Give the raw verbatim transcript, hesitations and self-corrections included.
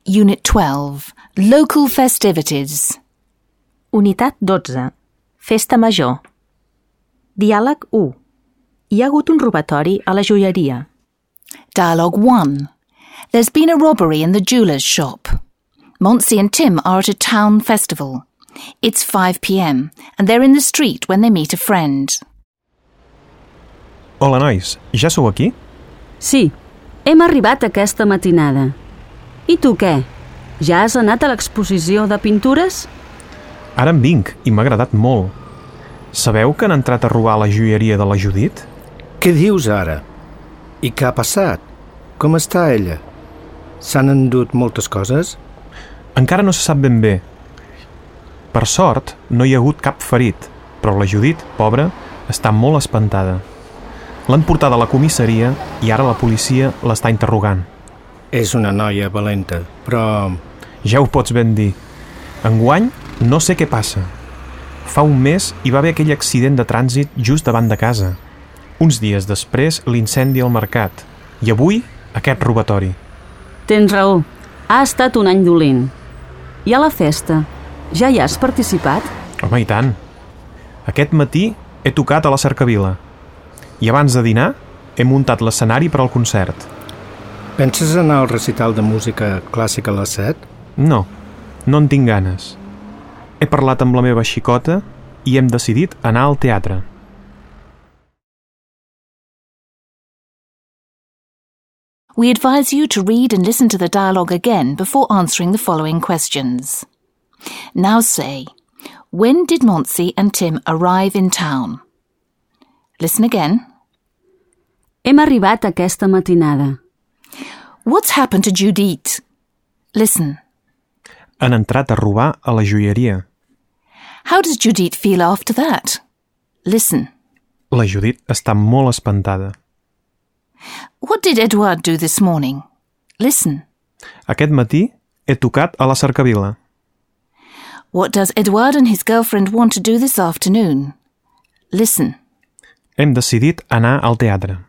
Unit twelve. Local festivities. Unitat dotze. Festa major. Diàleg u. Hi ha hagut un robatori a la joieria. Dialogue one. There's been a robbery in the jeweller's shop. Monty and Tim are at a town festival. It's five p.m. and they're in the street when they meet a friend. Hola, nois. Ja sou aquí? Sí, hem arribat aquesta matinada. I tu què? Ja has anat a l'exposició de pintures? Ara en vinc i m'ha agradat molt. Sabeu que han entrat a robar la joieria de la Judit? Què dius ara? I què ha passat? Com està ella? S'han endut moltes coses? Encara no se sap ben bé. Per sort, no hi ha hagut cap ferit, però la Judit, pobra, està molt espantada. L'han portada a la comissaria i ara la policia l'està interrogant. És una noia valenta, però... Ja ho pots ben dir. Enguany, no sé què passa. Fa un mes hi va haver aquell accident de trànsit just davant de casa. Uns dies després, l'incendi al mercat. I avui, aquest robatori. Tens raó. Ha estat un any dolent. I a la festa? Ja hi has participat? Home, i tant. Aquest matí he tocat a la Cercavila. I abans de dinar he muntat l'escenari per al concert. Penses anar al recital de música clàssica a les set? No, no en tinc ganes. He parlat amb la meva xicota i hem decidit anar al teatre. We advise you to read and listen to the dialogue again before answering the following questions. Now say, when did Monty and Tim arrive in town? Listen again. Hem arribat aquesta matinada. What's happened to Judit? Listen. Han entrat a robar a la joieria. How does Judit feel after that? Listen. La Judit està molt espantada. What did Edward do this morning? Listen. Aquest matí he tocat a la Cercavila. What does Edward and his girlfriend want to do this afternoon? Listen. Hem decidit anar al teatre.